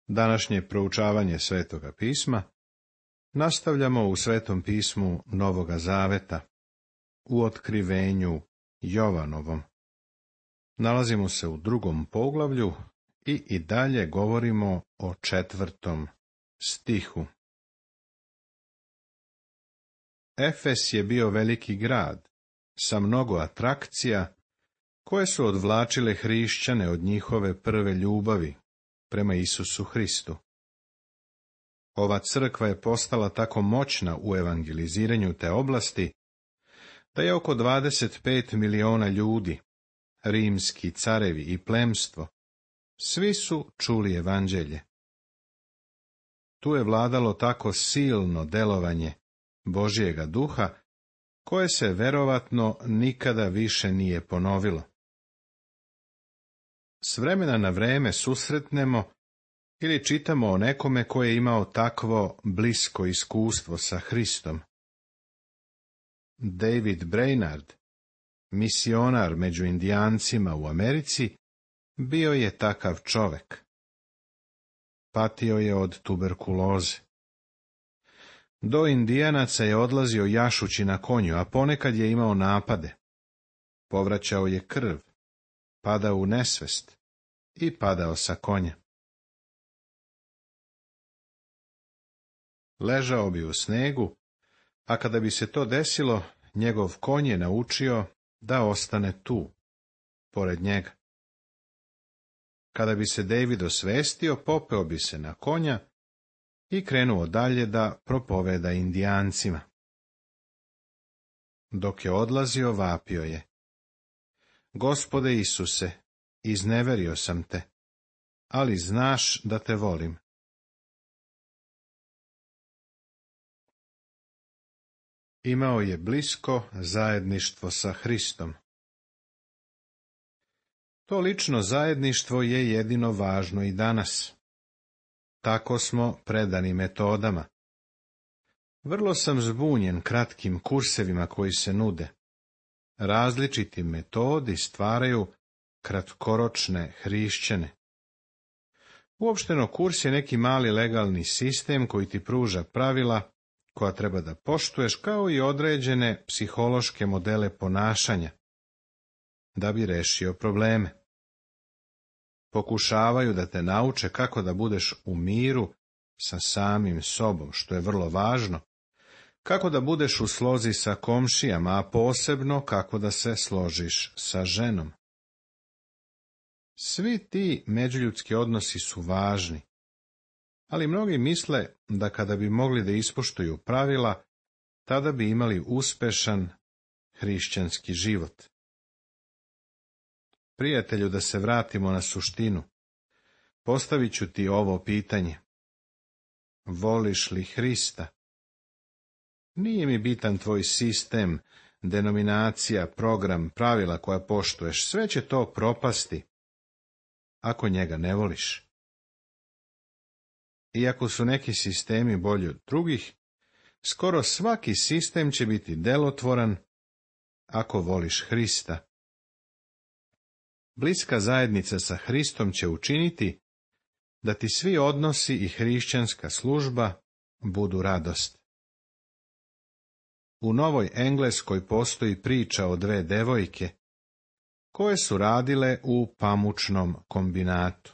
Današnje proučavanje Svetoga pisma nastavljamo u Svetom pismu Novoga Zaveta, u otkrivenju Jovanovom. Nalazimo se u 2. poglavlju i dalje govorimo o 4. stihu. Efes je bio veliki grad, sa mnogo atrakcija, koje su odvlačile hrišćane od njihove prve ljubavi prema Isusu Hristu. Ova crkva je postala tako moćna u evangeliziranju te oblasti, da je oko 25 miliona ljudi, rimski carevi i plemstvo, svi su čuli evanđelje. Tu je vladalo tako silno delovanje Božjega duha, koje se verovatno nikada više nije ponovilo. S vremena na vreme susretnemo ili čitamo o nekome koji je imao takvo blisko iskustvo sa Hristom. David Brainerd, misionar među Indijancima u Americi, bio je takav čovek. Patio je od tuberkuloze. Do Indijanaca je odlazio jašući na konju, a ponekad je imao napade. Povraćao je krv, padao u nesvest i padao sa konja. Ležao bi u snegu, a kada bi se to desilo, njegov konj je naučio da ostane tu, pored njega. Kada bi se David osvestio, popeo bi se na konja i krenuo dalje da propoveda Indijancima. Dok je odlazio, vapio je: Gospode Isuse, izneverio sam te, ali znaš da te volim. Imao je blisko zajedništvo sa Hristom. To lično zajedništvo je jedino važno i danas. Tako smo predani metodama. Vrlo sam zbunjen kratkim kursevima koji se nude. Različiti metodi stvaraju kratkoročne hrišćane. Uopšteno, kurs je neki mali legalni sistem koji ti pruža pravila koja treba da poštuješ, kao i određene psihološke modele ponašanja, da bi rešio probleme. Pokušavaju da te nauče kako da budeš u miru sa samim sobom, što je vrlo važno, kako da budeš u slozi sa komšijama, a posebno kako da se složiš sa ženom. Svi ti međuljudski odnosi su važni, ali mnogi misle da kada bi mogli da ispoštuju pravila, tada bi imali uspešan hrišćanski život. Prijatelju, da se vratimo na suštinu, postavit ću ti ovo pitanje: voliš li Hrista? Nije mi bitan tvoj sistem, denominacija, program, pravila koja poštuješ, sve će to propasti ako njega ne voliš. Iako su neki sistemi bolji od drugih, skoro svaki sistem će biti delotvoran ako voliš Hrista. Bliska zajednica sa Hristom će učiniti da ti svi odnosi i hrišćanska služba budu radost. U Novoj Engleskoj postoji priča o 2 devojke koje su radile u pamučnom kombinatu.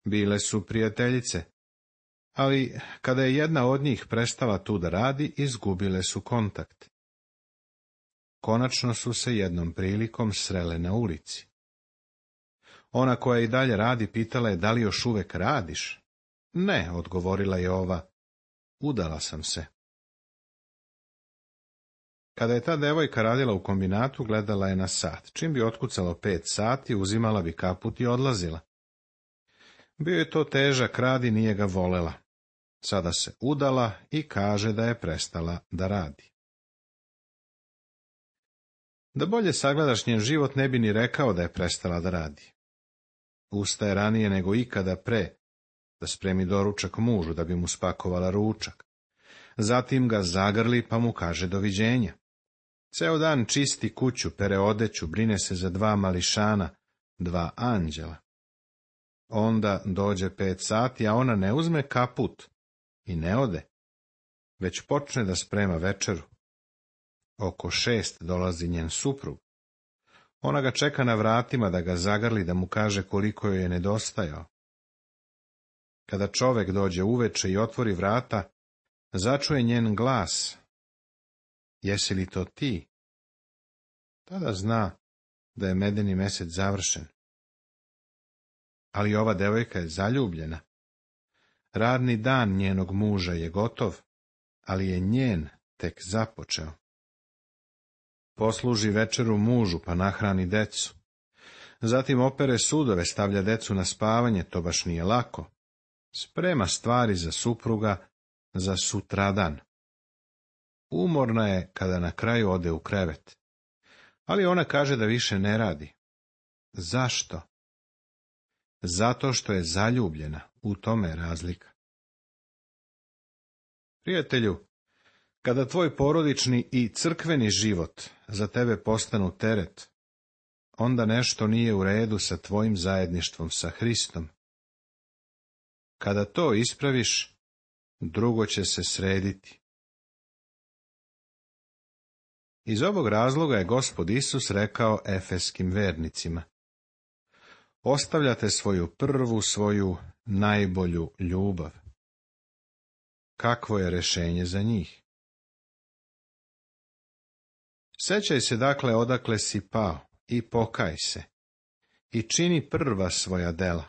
Bile su prijateljice, ali kada je jedna od njih prestala tu da radi, izgubile su kontakt. Konačno su se jednom prilikom srele na ulici. Ona koja i dalje radi pitala je: da li još uvek radiš? Ne, odgovorila je ova, udala sam se. Kada je ta devojka radila u kombinatu, gledala je na sat. Čim bi otkucalo 5 sati, uzimala bi kaput i odlazila. Bio je to težak rad i nije ga volela. Sada se udala i kaže da je prestala da radi. Da bolje sagledaš njen život, ne bi ni rekao da je prestala da radi. Ustaje ranije nego ikada pre, da spremi doručak mužu, da bi mu spakovala ručak. Zatim ga zagrli pa mu kaže doviđenja. Ceo dan čisti kuću, pere odeću, brine se za 2 mališana, 2 anđela. Onda dođe 5 sati, a ona ne uzme kaput i ne ode, već počne da sprema večeru. Oko 6 dolazi njen suprug. Ona ga čeka na vratima da ga zagrli, da mu kaže koliko joj je nedostajao. Kada čovek dođe uveče i otvori vrata, začuje njen glas: "Jesi li to ti?" Tada zna da je medeni mesec završen. Ali ova devojka je zaljubljena. Radni dan njenog muža je gotov, ali je njen tek započeo. Posluži večeru mužu, pa nahrani decu. Zatim opere sudove, stavlja decu na spavanje, to baš nije lako. Sprema stvari za supruga za sutradan. Umorna je kada na kraju ode u krevet. Ali ona kaže da više ne radi. Zašto? Zato što je zaljubljena, u tome je razlika. Prijatelju, kada tvoj porodični i crkveni život za tebe postanu teret, onda nešto nije u redu sa tvojim zajedništvom sa Hristom. Kada to ispraviš, drugo će se srediti. Iz ovog razloga je Gospod Isus rekao efeskim vernicima: ostavljate svoju najbolju ljubav. Kakvo je rješenje za njih? Sećaj se dakle odakle si pao i pokaj se i čini prva svoja dela.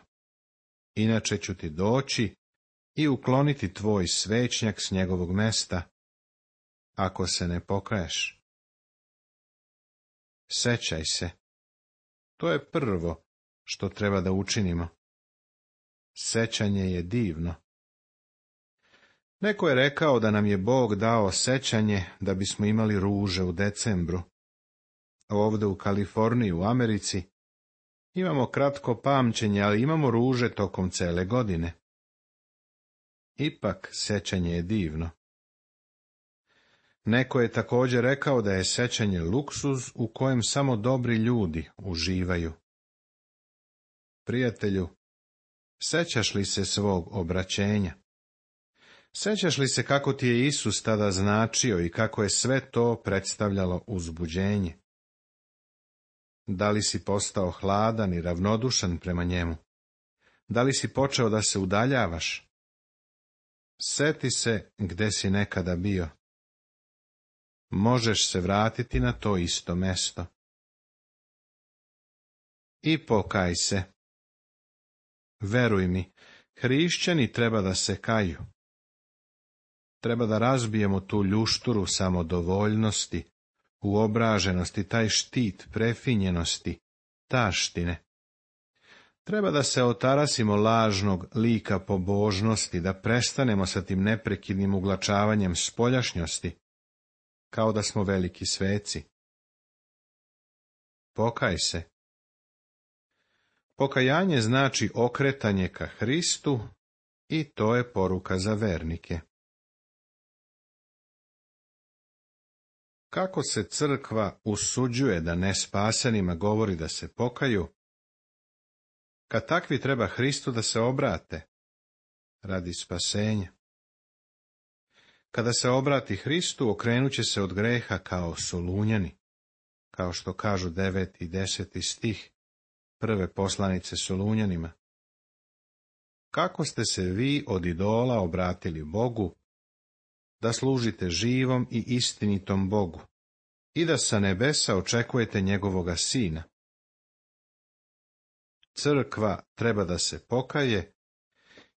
Inače ću ti doći i ukloniti tvoj svećnjak s njegovog mesta, ako se ne pokaješ. Sećaj se. To je prvo što treba da učinimo. Sećanje je divno. Neko je rekao da nam je Bog dao sećanje da bismo imali ruže u decembru. Ovdje u Kaliforniji, u Americi, imamo kratko pamćenje, ali imamo ruže tokom cele godine. Ipak sećanje je divno. Neko je također rekao da je sećanje luksuz u kojem samo dobri ljudi uživaju. Prijatelju, sećaš li se svog obraćenja? Sećaš li se kako ti je Isus tada značio i kako je sve to predstavljalo uzbuđenje? Da li si postao hladan i ravnodušan prema njemu? Da li si počeo da se udaljavaš? Seti se gde si nekada bio. Možeš se vratiti na to isto mesto. I pokaj se. Veruj mi, hrišćani treba da se kaju. Treba da razbijemo tu ljušturu samodovoljnosti, uobraženosti, taj štit prefinjenosti, taštine. Treba da se otarasimo lažnog lika pobožnosti, da prestanemo sa tim neprekidnim uglačavanjem spoljašnjosti, kao da smo veliki sveci. Pokaj se. Pokajanje znači okretanje ka Hristu i to je poruka za vernike. Kako se crkva usuđuje da nespasenima govori da se pokaju, kad takvi treba Hristu da se obrate radi spasenja. Kada se obrati Hristu, okrenut će se od greha kao Solunjani, kao što kažu 9. i 10. stih prve poslanice Solunjanima. Kako ste se vi od idola obratili Bogu, da služite živom i istinitom Bogu i da sa nebesa očekujete njegovoga Sina. Crkva treba da se pokaje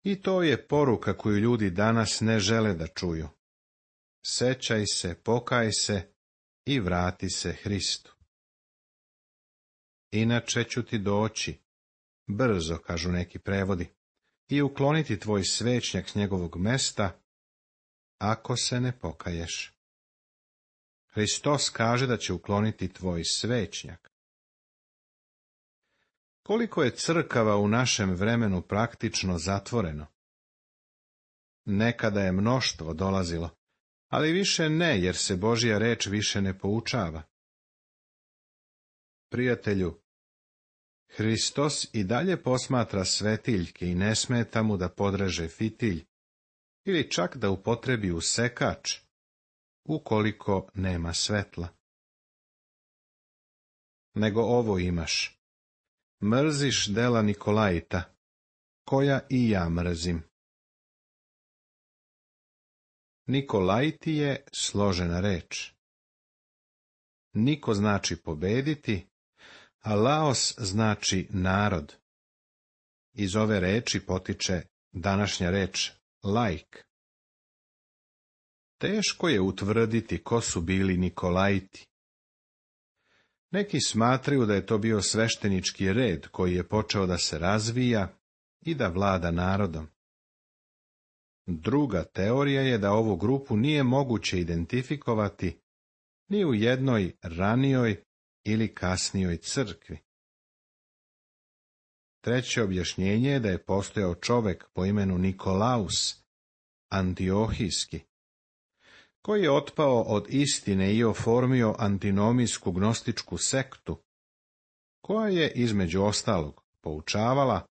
i to je poruka koju ljudi danas ne žele da čuju. Sećaj se, pokaj se i vrati se Hristu. Inače ću ti doći, brzo, kažu neki prevodi, i ukloniti tvoj svećnjak s njegovog mesta, ako se ne pokaješ. Hristos kaže da će ukloniti tvoj svećnjak. Koliko je crkava u našem vremenu praktično zatvoreno? Nekada je mnoštvo dolazilo, ali više ne, jer se Božja reč više ne poučava. Prijatelju, Hristos i dalje posmatra svetiljke i ne smeta mu da podreže fitilj ili čak da upotrebi usekač, ukoliko nema svetla. Nego ovo imaš: mrziš dela Nikolajta, koja i ja mrzim. Nikolajti je složena reč. Niko znači pobediti, a laos znači narod. Iz ove reči potiče današnja reč laik. Teško je utvrditi ko su bili Nikolajti. Neki smatraju da je to bio sveštenički red koji je počeo da se razvija i da vlada narodom. Druga teorija je da ovu grupu nije moguće identifikovati ni u jednoj ranijoj ili kasnijoj crkvi. Treće objašnjenje je da je postojao čovek po imenu Nikolaus, Antiohijski, koji je otpao od istine i oformio antinomijsku gnostičku sektu, koja je, između ostalog, poučavala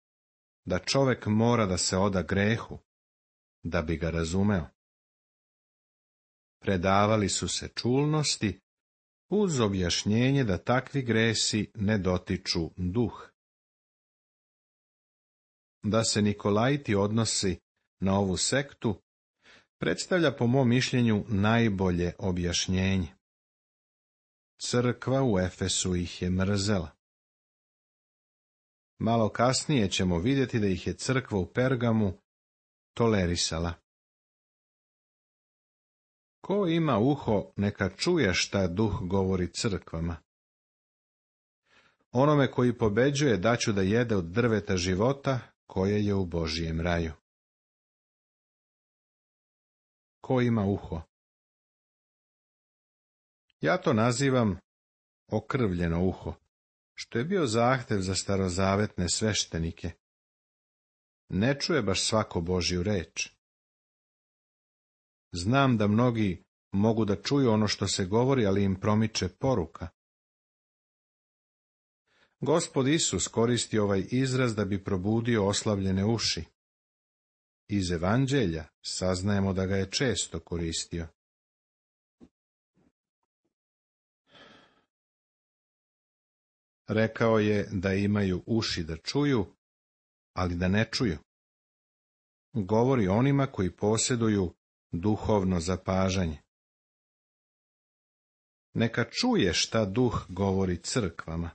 da čovek mora da se oda grehu, da bi ga razumeo. Predavali su se čulnosti, uz objašnjenje da takvi gresi ne dotiču duh. Da se Nikolajti odnosi na ovu sektu predstavlja po mom mišljenju najbolje objašnjenje. Crkva u Efesu ih je mrzela. Malo kasnije ćemo vidjeti da ih je crkva u Pergamu tolerisala. Ko ima uho, neka čuje šta duh govori crkvama. Onome koji pobeđuje daću da jede od drveta života koje je u Božijem raju. Ko ima uho? Ja to nazivam okrvljeno uho, što je bio zahtev za starozavetne sveštenike. Ne čuje baš svako Božju reč. Znam da mnogi mogu da čuju ono što se govori, ali im promiče poruka. Gospod Isus koristi ovaj izraz da bi probudio oslavljene uši. Iz Evanđelja saznajemo da ga je često koristio. Rekao je da imaju uši da čuju, ali da ne čuju. Govori onima koji posjeduju duhovno zapažanje. Neka čuje šta duh govori crkvama.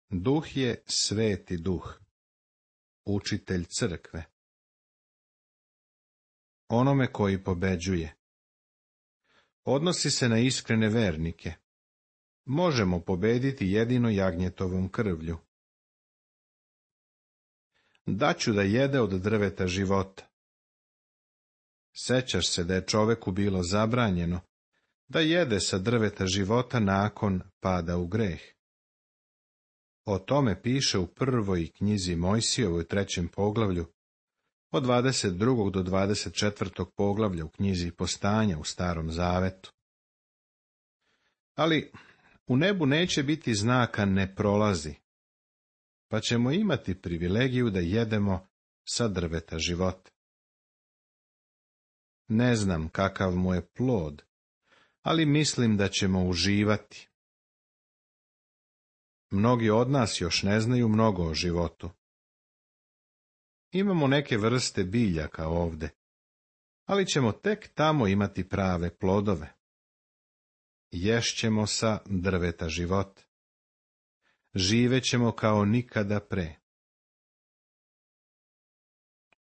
Duh je sveti duh, učitelj crkve. Onome koji pobeđuje. Odnosi se na iskrene vernike. Možemo pobediti jedino jagnjetovom krvlju. Daću da jede od drveta života. Sećaš se da je čoveku bilo zabranjeno da jede sa drveta života nakon pada u greh. O tome piše u prvoj knjizi Mojsijevoj 3. poglavlju, od 22. do 24. poglavlja u knjizi Postanja u Starom Zavetu. Ali u nebu neće biti znaka ne prolazi, pa ćemo imati privilegiju da jedemo sa drveta života. Ne znam kakav mu je plod, ali mislim da ćemo uživati. Mnogi od nas još ne znaju mnogo o životu. Imamo neke vrste biljaka ovde, ali ćemo tek tamo imati prave plodove. Ješćemo sa drveta života. Živećemo kao nikada pre.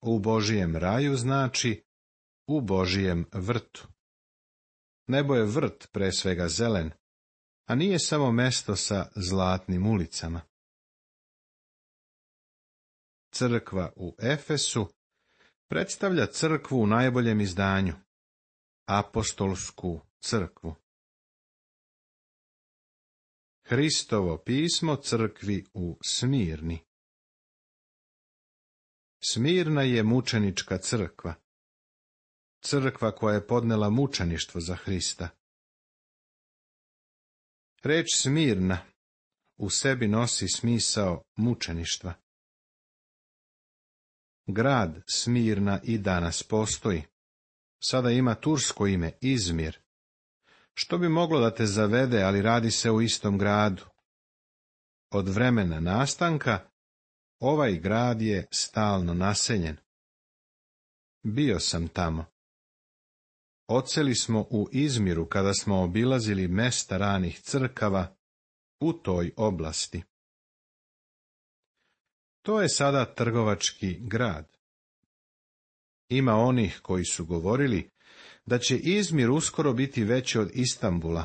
U Božijem raju znači u Božijem vrtu. Nebo je vrt pre svega zelen, a nije samo mesto sa zlatnim ulicama. Crkva u Efesu predstavlja crkvu u najboljem izdanju, apostolsku crkvu. Hristovo pismo crkvi u Smirni. Smirna je mučenička crkva. Crkva koja je podnela mučeništvo za Hrista. Reč Smirna u sebi nosi smisao mučeništva. Grad Smirna i danas postoji. Sada ima tursko ime Izmir, što bi moglo da te zavede, ali radi se o istom gradu. Od vremena nastanka ovaj grad je stalno naseljen. Bio sam tamo. Odseli smo u Izmiru kada smo obilazili mesta ranih crkava u toj oblasti. To je sada trgovački grad. Ima onih koji su govorili da će Izmir uskoro biti veći od Istambula.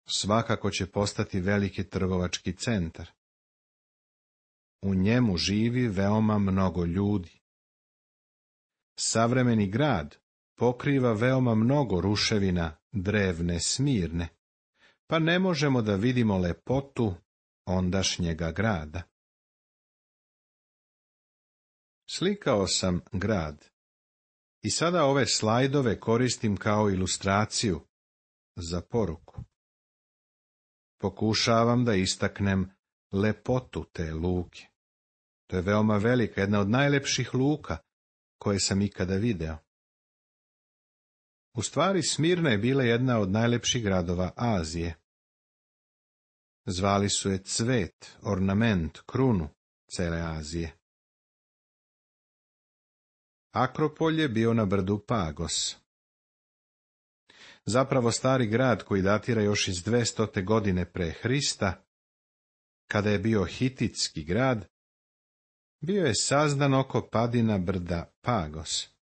Svakako će postati veliki trgovački centar. U njemu živi veoma mnogo ljudi. Savremeni grad pokriva veoma mnogo ruševina drevne Smirne, pa ne možemo da vidimo lepotu ondašnjega grada. Slikao sam grad i sada ove slajdove koristim kao ilustraciju za poruku. Pokušavam da istaknem lepotu te luke. To je veoma velika, jedna od najlepših luka koje sam ikada video. U stvari, Smirna je bila jedna od najlepših gradova Azije. Zvali su je cvet, ornament, krunu cele Azije. Akropolj je bio na brdu Pagos. Zapravo stari grad koji datira još iz 200. godine pre Hrista, kada je bio hititski grad, bio je sazdan oko padina brda Pagos.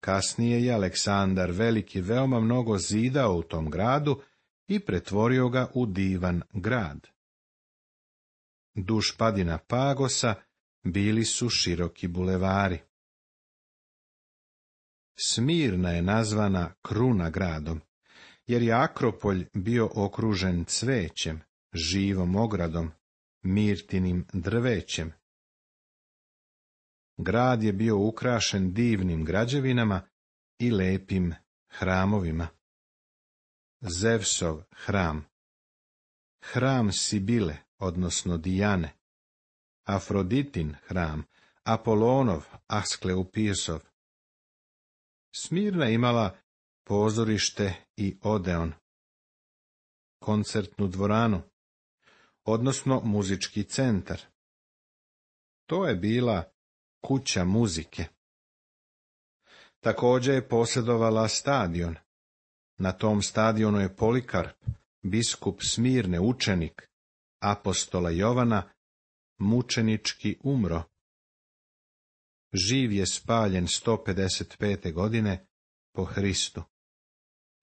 Kasnije je Aleksandar Veliki veoma mnogo zidao u tom gradu i pretvorio ga u divan grad. Duž padina Pagosa bili su široki bulevari. Smirna je nazvana kruna gradom, jer je Akropolj bio okružen cvećem, živom ogradom, mirtinim drvećem. Grad je bio ukrašen divnim građevinama i lepim hramovima. Zevsov hram, hram Sibile, odnosno Dijane, Afroditin hram, Apolonov, Asklepiosov. Smirna imala pozorište i odeon, koncertnu dvoranu, odnosno muzički centar. To je bila kuća muzike. Također je posjedovala stadion. Na tom stadionu je Polikarp, biskup Smirne, učenik apostola Jovana, mučenički umro. Živ je spaljen 155. godine po Hristu,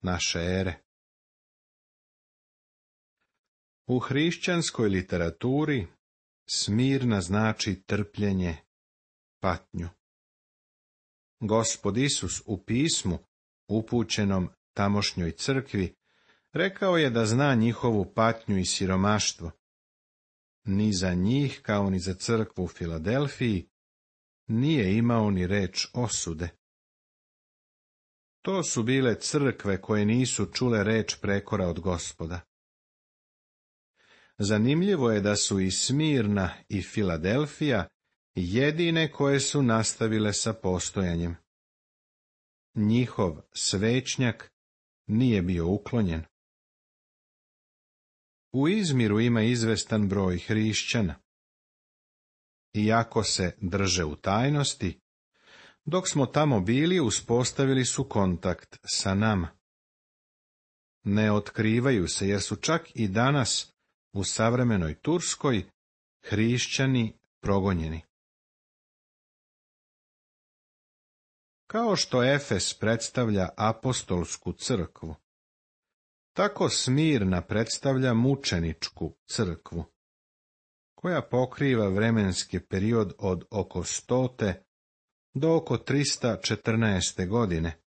naše ere. U hrišćanskoj literaturi Smirna znači trpljenje, patnju. Gospod Isus u pismu upućenom tamošnjoj crkvi rekao je da zna njihovu patnju i siromaštvo. Ni za njih, kao ni za crkvu u Filadelfiji, nije imao ni reč osude. To su bile crkve koje nisu čule reč prekora od Gospoda. Zanimljivo je da su i Smirna i Filadelfija jedine koje su nastavile sa postojanjem. Njihov svećnjak nije bio uklonjen. U Izmiru ima izvestan broj hrišćana. Iako se drže u tajnosti, dok smo tamo bili, uspostavili su kontakt sa nama. Ne otkrivaju se, jer su čak i danas u savremenoj Turskoj hrišćani progonjeni. Kao što Efes predstavlja apostolsku crkvu, tako Smirna predstavlja mučeničku crkvu, koja pokriva vremenski period od oko 100. do oko 314. godine,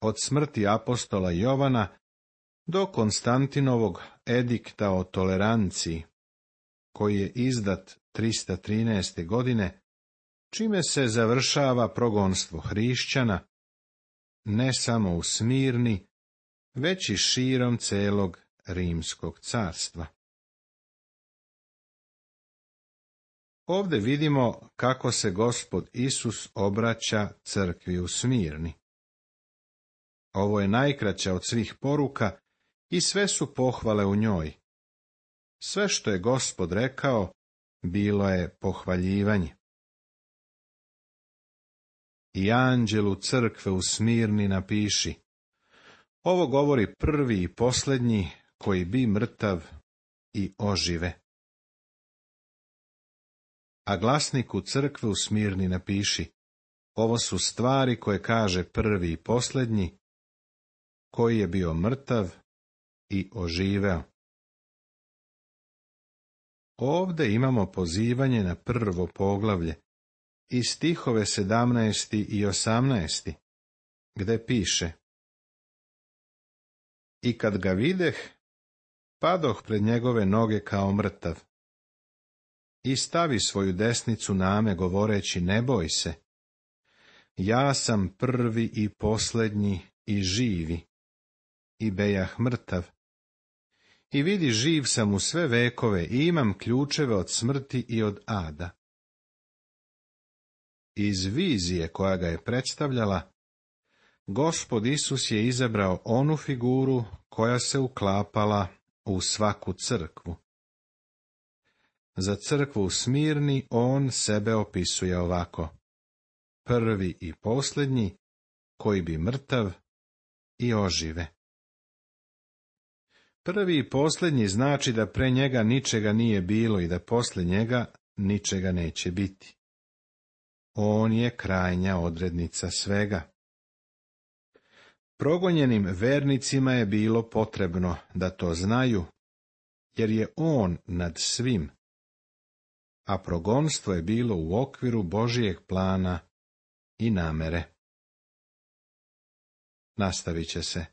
od smrti apostola Jovana do Konstantinovog edikta o toleranciji, koji je izdat 313. godine, čime se završava progonstvo hrišćana, ne samo u Smirni, već i širom celog Rimskog carstva. Ovdje vidimo kako se Gospod Isus obraća crkvi u Smirni. Ovo je najkraća od svih poruka i sve su pohvale u njoj. Sve što je Gospod rekao, bilo je pohvaljivanje. I anđelu crkve u Smirni napiši: ovo govori prvi i posljednji, koji bi mrtav i ožive. A glasniku crkve u Smirni napiši: ovo su stvari koje kaže prvi i posljednji, koji je bio mrtav i oživeo. Ovdje imamo pozivanje na prvo poglavlje i stihove 17. i 18. gde piše: i kad ga videh, padoh pred njegove noge kao mrtav. I stavi svoju desnicu na me, govoreći: ne boj se, ja sam prvi i posljednji i živi. I bejah mrtav. I vidi, živ sam u sve vekove i imam ključeve od smrti i od ada. Iz vizije koja ga je predstavljala, Gospod Isus je izabrao onu figuru koja se uklapala u svaku crkvu. Za crkvu u Smirni on sebe opisuje ovako: prvi i posljednji, koji bi mrtav i ožive. Prvi i posljednji znači da pre njega ničega nije bilo i da poslije njega ničega neće biti. On je krajnja odrednica svega. Progonjenim vernicima je bilo potrebno da to znaju, jer je on nad svim, a progonstvo je bilo u okviru Božijeg plana i namere. Nastavit će se